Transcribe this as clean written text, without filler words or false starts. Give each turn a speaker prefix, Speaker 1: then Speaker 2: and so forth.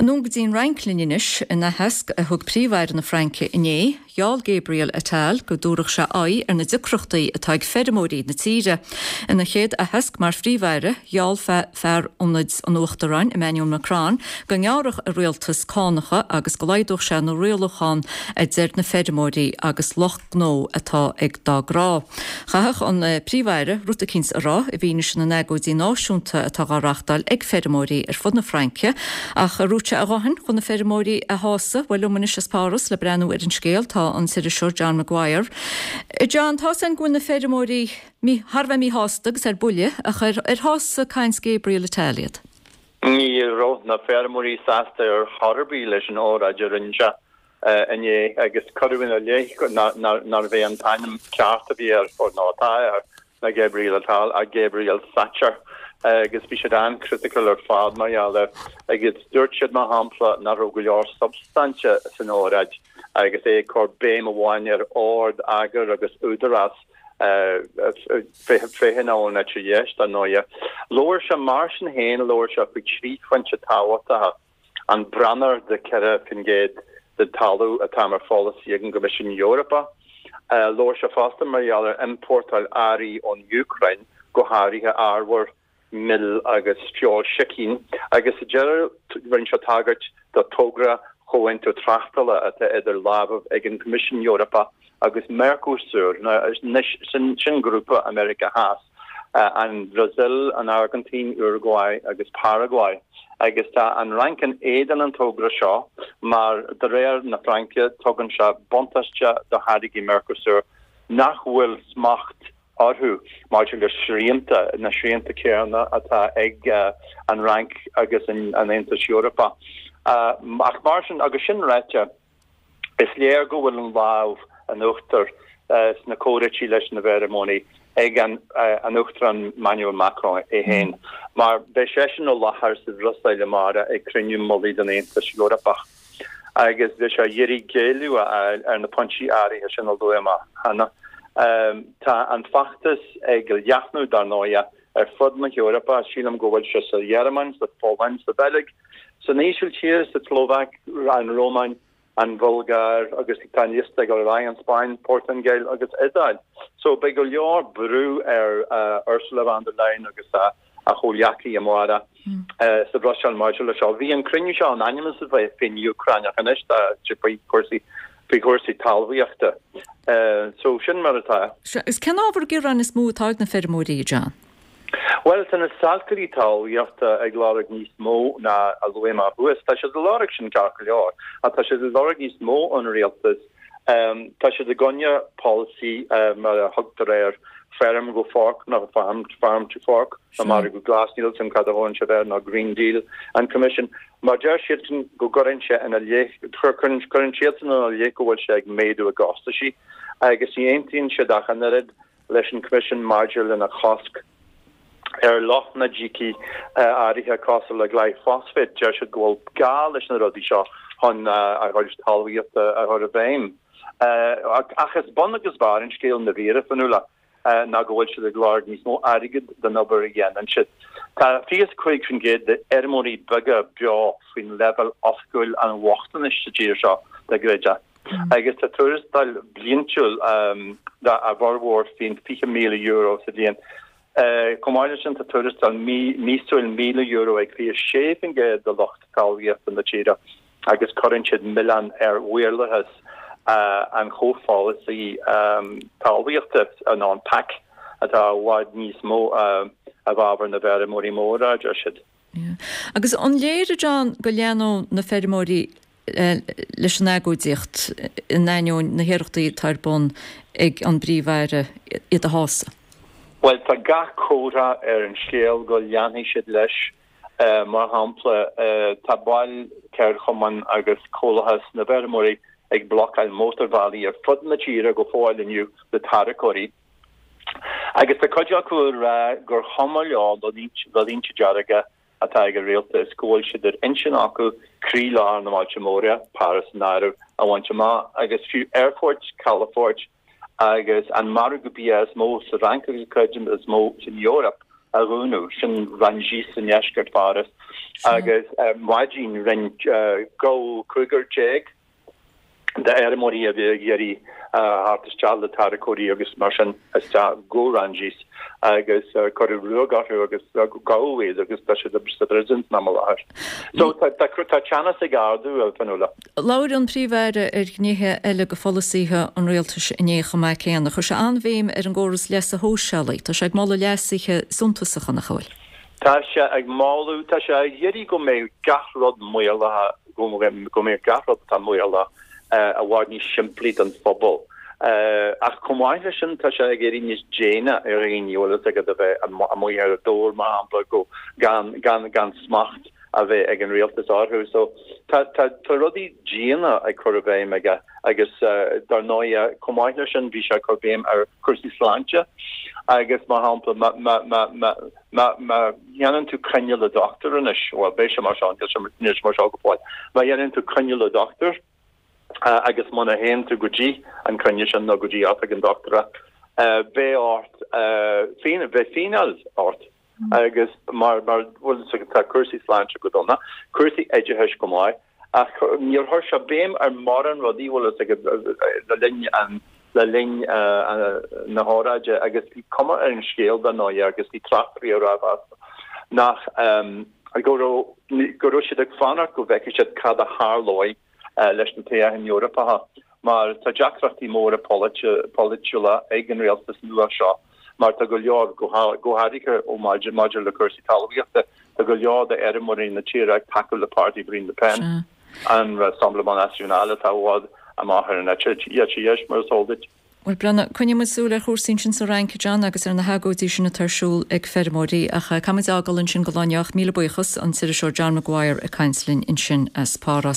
Speaker 1: Anonn go dtí an Fhrainc linn anois. In aitheasc a thug Príomh-Aire na Fraince inné, gheall Gabriel Attal go dtabharfadh sé aghaidh ar na deacrachtaí atá ag feirmeoirí na tíre. Ina chéad aitheasc mar Phríomh-Aire, gheall fear ionaid an Uachtaráin, Emmanuel Macron, go ngearrfadh a rialtas cánacha agus go laghdódh sé na rialúcháin a deir na feirmeoirí agus lucht gnó atá ag dá gcrá. Chaithfeadh an Príomh-Aire rud eicínt a rá i bhfianaise na n-agóidí náisiúnta atá dhá reachtáil ag feirmeoirí ar fud na Fraince. Ach an raibh sé a dhóthain chun na feirmeoirí a shásamh? Bhuel, liom anois as Páras le breathnú ar an scéal tá an t-iriseoir John Maguire. John, tá's againn go bhfuil na feirmeoirí thar a bheith míshásta agus ar buile, ach ar shásaigh caint Gabriel Attal iad?
Speaker 2: Ní raibh na feirmeoirí sásta ar chor ar bith leis an óráid a rinne sé. inné agus cuireadh ina leith nárbh é an t-ainm ceart a bhí air, nó atá air, ná Gabriel Attal ach Gabriel Thatcher agus bhí siad an-chriticiúil ar fad mar gheall air agus dúirt siad, mar shampla, nach raibh go leor substainte san óráid agus é ag cur béim amháin ar ord, eagar agus údarás, féachaint ón eite dheis, dar ndóighe. Labhair sé, mar sin féin, labhair sé faoi thrí phointe tábhachtacha. an branar de 4% den talamh atá mar pholasaí ag an gCoimisiún Eorpach. Labhair sé fosta mar gheall ar iompórtáil earraí ón Úcráin, go háirithe arbhar, mil agus feoil sicín, agus sa deireadh rinne sé tagairt do togra chomhaontú tráchtála atá idir lámhaibh ag an gCoimisiún Eorpach agus Mercosur, sin grúpa i Meiriceá Theas. an Bhrasaíl, an Airgintín, Uruguay agus Paraguay, agus tá an Fhrainc in éadan an togra seo mar, de réir na Fraince, tugann sé buntáiste do tháirgí Mercosur nach bhfuil smacht orthu maidir le srianta, na srianta céanna atá ag an Fhrainc agus an Aontas Eorpach. Ach mar sin, agus sin ráite, Is léir go bhfuil an lámh in uachtar sna comhráití leis na bhfeirmeoirí ag an Uachtarán Emmanuel Macron é féin, mar beidh seisean i láthair sa Bhruiséil amárach ag cruinniú mullaigh den Aontas Eorpach agus beidh sé ag iarraidh géilleadh a fháil ar na pointí áirithe sin a luaigh mé cheana. Tá an feachtas ag leathnú, dar ndóighe, ar fud na hEorpa. Sílim go bhfuil sé sa Ghearmáin, sa Pholainn, sa Bheilg, san Ísiltír, sa tSlóvaic, an Rómáin, an Bhulgáir agus tá an liosta ag dul ar aghaidh, an Spáinn, Portaingéil agus Iodáil. So beidh go leor brú ar Ursula von der Leyen agus a chomhghleacaí amárach sa Bhruiséil maidir le seo. Bhí an cruinniú seo in ainm is a bheith faoin Úcráin ach anois tá sé faoi chúrsaí faoi chúrsaí talmhaíochta. So sin mar atá.
Speaker 1: Sea, agus cén ábhar gearáin is mó atá ag na feirmeoirí, a John?
Speaker 2: Bhuel, tá na salachairí talmhaíochta ag lorg níos mó ná a luaigh mé thuas. Tá siad ag lorg sin ceart go leor, ach tá siad ag lorg níos mó ón rialtas. Tá siad i gcoinne polasaí mar a thugtar air, feirm go forc nó farm, farm to fork, nó margadh glas, níl a fhios agam cad a thugann siad air, nó Green Deal an Coimisiún. Mar deir siadsan go gcuireann sé ina leith, cuireann siadsan ina leith go bhfuil sé ag méadú a gcostaisí agus ní aontaíonn siad ach an oiread leis an Coimisiún maidir lena chosc ar lotnaidící áirithe cosúil le glyphosate. Deir siad go bhfuil gá leis na rudaí seo chun a gcuid talmhaíochta a chur i bhfeidhm. Ach is bun agus barr an scéil i ndáiríre, Fionnuala. ná go bhfuil siad ag lorg níos mó airgid don obair a dhéanann siad. Tá 25% d'fheirmeoirí beaga beo faoin leibhéal oifigiúil an bhochtanais sa tír seo, dá gcreidfeá. Agus tá tuarastal bliantúil a bhformhór faoin €20,000 sa bhliain. Chomh maith leis sin tá tuarastal míosúil €1,000 ag 26% de lucht talmhaíochta na tíre. agus cuireann siad milleán ar mhaorlathas an chomhpholasaí talmhaíochta, nó an PAC, atá i bhfad níos mó i bhfabhar na bhfeirmeoirí móra, a deir siad.
Speaker 1: Agus an léir, a John, go leanfaidh na feirmeoirí leis an agóidíocht in ainneoin na hiarrachtaí atá ar bun ag an bPríomh-Aire iad a shásamh?
Speaker 2: Bhuel, tá gach comhartha ar an scéal go leanfaidh siad leis. Mar shampla, tá baill ceardchumann agus Comhlathas na bhFeirmeoirí ag blocáil mótarbhealaí ar fud na tíre go fóill inniu le tarracóirí. Agus tá cuid acu ag rá gur chuma leo na línte dearga atá ag an rialtas, go bhfuil siad ar intinn acu croílár na mbailte móra, Páras san áireamh, a bhaint amach agus fiú aerfoirt, calafoirt agus an margadh bia is mó sa Fhrainc agus creidim is mó san Eoraip. a dhúnadh, sin Rungis i ndeisceart Pháras, agus ar maidin rinne gabhadh 15 d'fheirmeoirí a bhí ag iarraidh theacht isteach le tarracóirí agus mar sin isteach go Rungis agus cuireadh ruaig orthu agus gabhadh iad agus tá siad sa bpríosún san am i láthair. So tá teannas ag ardú, a Fionnuala.
Speaker 1: Labhair an Príomh-Aire ar ghnéithe eile de pholasaithe an rialtais inné chomh maith céanna. Chuir sé an-bhéim ar an gcóras leasa shóisialaigh. Tá sé ag moladh leasuithe suntasacha, nach bhfuil?
Speaker 2: Tá sé ag moladh, tá sé ag iarraidh go mbeidh gach rud maolaithe, go mbeidh gach rud atá maolaithe i bhfad níos simplí don phobal. Ach chomh maith leis sin, tá sé ag éirí níos déine ar dhaoine, bhfuil fhios agat, a bheith amuigh ar an dtóir, mar shampla, go gan, gan, gan smacht. a bheith ag an rialtas orthu. So tá tá tá rudaí diana ag cur i bhfeidhm aige agus dar ndóigh chomh maith leis sin bhí sé ag cur béim ar chúrsaí sláinte agus mar shampla má má má má má má dhéanann tú coinne le dochtúir anois, bhuel beidh sé mar seo, níl sé níl sé mar seo go fóill, má dhéanann tú coinne le dochtúir agus muna théann tú go dtí an coinne sin nó go dtí oifig an dochtúra beidh ort beidh fíneáil ort. Agus mar, mar, bhuel, tá cúrsaí sláinte go dona, cúrsaí oideachais go maith, ach níor chuir sé béim ar mórán rudaí, bhfuil fhios agat, le linn an, le linn na hóráide agus bhí cuma ar an scéal dar ndóigh agus bhí tráchtairí ag rá fosta nach, go raibh, go raibh siad ag fanacht go bhfeicfidh siad cad a tharlóidh leis na toghcháin Eorpacha mar tá deacrachtaí móra polaitiúla ag an rialtas nua seo mar tá go leor, go háirithe ó maidir le cúrsaí talmhaíochta, tá go leor d'fheirmeoirí na tíre ag tacú le páirtí Marine Le Pen, an Rassemblement National atá i bhfad amach ar an eite dheis, mar is eol duit.
Speaker 1: Bhuel, Breandán, coinneoidh muid súil ar chúrsaí ansin sa Fhrainc, a John, agus ar na hagóidí sin atá ar siúl ag feirmeoirí. Ach caithfidh muid a fhágáil ansin do lá inniu. Míle buíochas, an t-iriseoir John Maguire ag caint linn ansin as Páras.